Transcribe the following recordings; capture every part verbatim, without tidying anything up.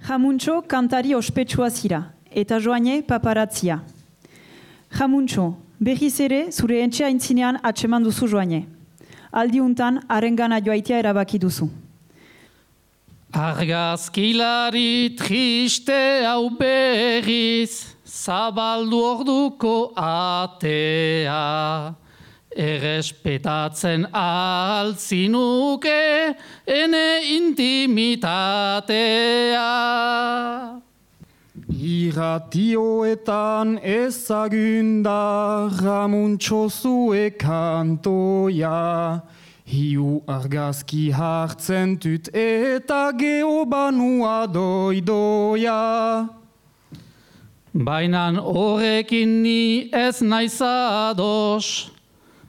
Jamuntxo kantari ospetsua zira, eta Joane paparatzia. Jamuntxo, berriz ere zure entxe aintzinean atseman duzu Joane. Aldiuntan, harengana joaitea erabaki duzu. Argazkilari triste hau berriz, zabaldu orduko atea. Errespetatzen altzinuke ene intimitatea. Irratioetan ezagunda Jamuntxo zue kantoia. Hiu argazki hartzen tut eta geobanua doidoia. Bainan horrekin ni ez naiz ados,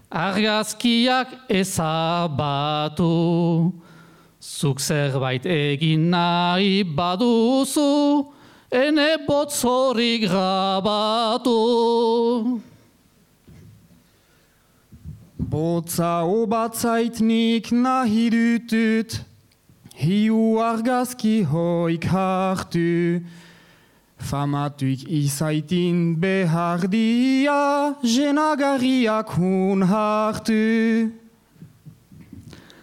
argazkiak ezabatu. Zuk zerbait egin nahi baduzu, ene botzorik grabatu. Botza obatzaitnik nahi dutut, hiu argazki hoik hartu. Famatuik izaitin behardia, jenagarriak hun hartu.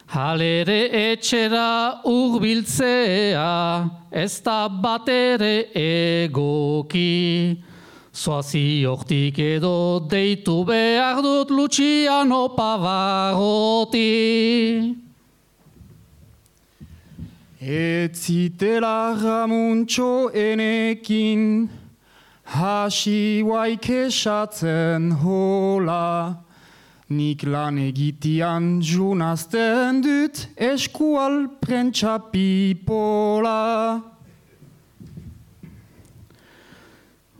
Halere etxera urbiltzea, ez da batere egoki. Zoazi hortik edo deitu behar dut Luciano Pavarotti. Etzitela Jamuntxo enekin, hasi waik esatzen hola. Nik lan egitian junazten dut eskual prentsa pipola.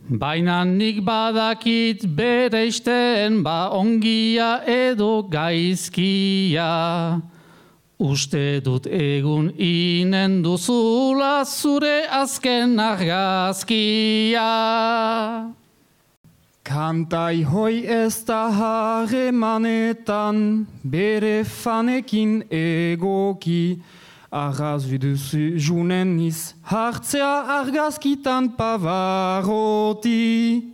Baina nik badakit bereisten ba ongia edo gaizkia. Uste dut egun inen duzula zure azken argazkia. Kantai hoi ez da harremanetan, bere fanekin egoki. Arraz biduzu junen niz, hartzea argazkitan Pavarotti.